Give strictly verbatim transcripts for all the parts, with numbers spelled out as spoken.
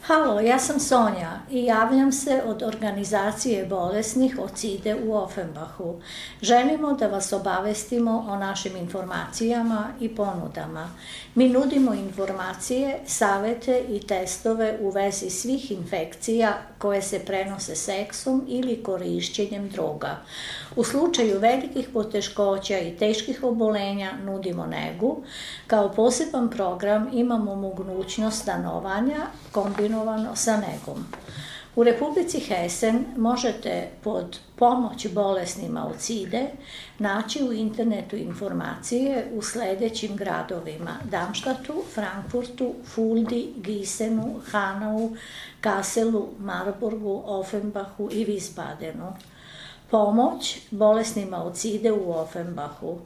Halo, ja sam Sonja i javljam se od organizacije bolesnih od SIDA-e u Offenbachu. Želimo da vas obavestimo o našim informacijama i ponudama. Mi nudimo informacije, savete i testove u vezi svih infekcija koje se prenose seksom ili korišćenjem droga. U slučaju velikih poteškoća i teških obolenja nudimo negu. Kao poseban program imamo mogućnost stanovanja kombinovano sa negom. U Republici Hessen možete pod pomoć bolesnima od SIDA-e naći u internetu informacije u sledećim gradovima: Darmstadtu, Frankfurtu, Fuldi, Gisenu, Hanau, Kasselu, Marburgu, Offenbachu i Wiesbadenu. Pomoć bolesnima od SIDA-e u Offenbachu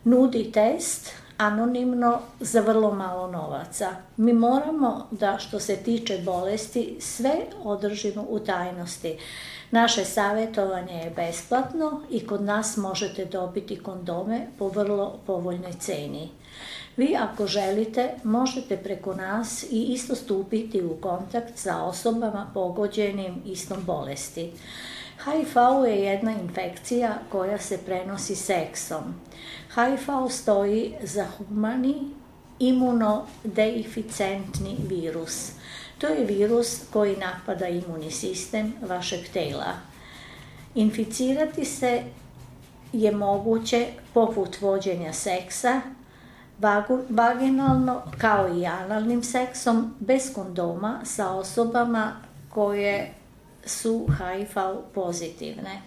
nudi test anonimno za vrlo malo novaca. Mi moramo da, što se tiče bolesti, sve održimo u tajnosti. Naše savjetovanje je besplatno i kod nas možete dobiti kondome po vrlo povoljnoj ceni. Vi, ako želite, možete preko nas i isto stupiti u kontakt sa osobama pogođenim istom bolesti. H I V je jedna infekcija koja se prenosi seksom. H I V stoji za humani imunodeficentni virus. To je virus koji napada imunni sistem vašeg tela. Inficirati se je moguće poput vođenja seksa, vaginalno kao i analnim seksom, bez kondoma sa osobama koje su H I V pozitivne.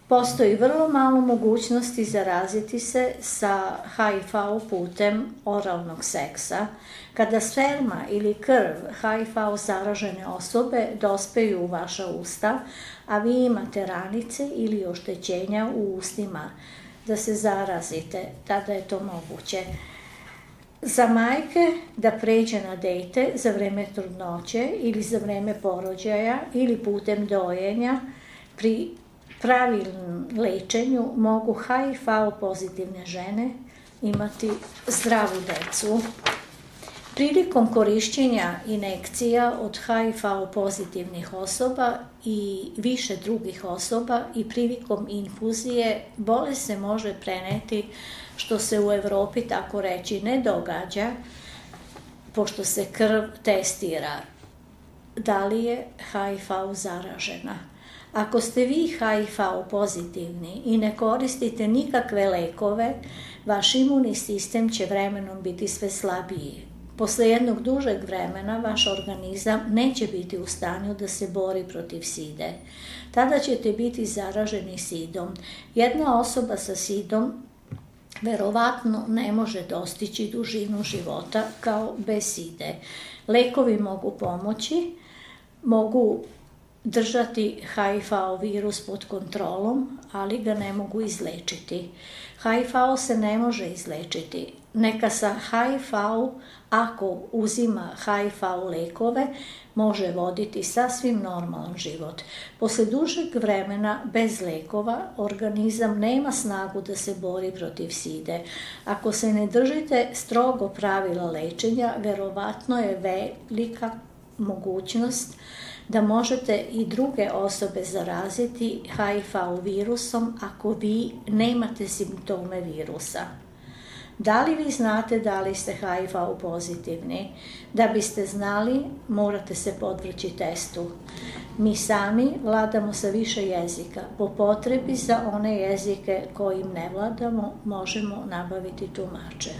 Postoji vrlo malo mogućnosti zaraziti se sa H I V putem oralnog seksa. Kada sperma ili krv H I V zaražene osobe dospeju u vaša usta, a vi imate ranice ili oštećenja u ustima da se zarazite, tada je to moguće. Za majke da pređe na dete za vreme trudnoće ili za vreme porođaja ili putem dojenja, pri pravilnom lečenju mogu H I V pozitivne žene imati zdravu decu. Prilikom korišćenja injekcija od H I V pozitivnih osoba i više drugih osoba i prilikom infuzije bolest se može preneti, što se u Evropi tako reći ne događa, pošto se krv testira da li je H I V zaražena. Ako ste vi H I V pozitivni i ne koristite nikakve lekove, vaš imunni sistem će vremenom biti sve slabiji. Posle jednog dužeg vremena vaš organizam neće biti u stanju da se bori protiv SIDA-e. Tada ćete biti zaraženi SIDom. Jedna osoba sa SIDom verovatno ne može dostići dužinu života kao bez SIDA-e. Lekovi mogu pomoći, mogu držati H I V virus pod kontrolom, ali ga ne mogu izlečiti. H I V se ne može izlečiti. Neka sa H I V, ako uzima H I V lekove, može voditi sasvim normalan život. Posle dužeg vremena bez lekova, organizam nema snagu da se bori protiv SIDA-e. Ako se ne držite strogo pravila lečenja, verovatno je velika mogućnost da možete i druge osobe zaraziti H I V virusom ako vi nemate simptome virusa. Da li vi znate da li ste H I V pozitivni? Da biste znali, morate se podvrći testu. Mi sami vladamo sa više jezika. Po potrebi za one jezike kojim ne vladamo, možemo nabaviti tumače.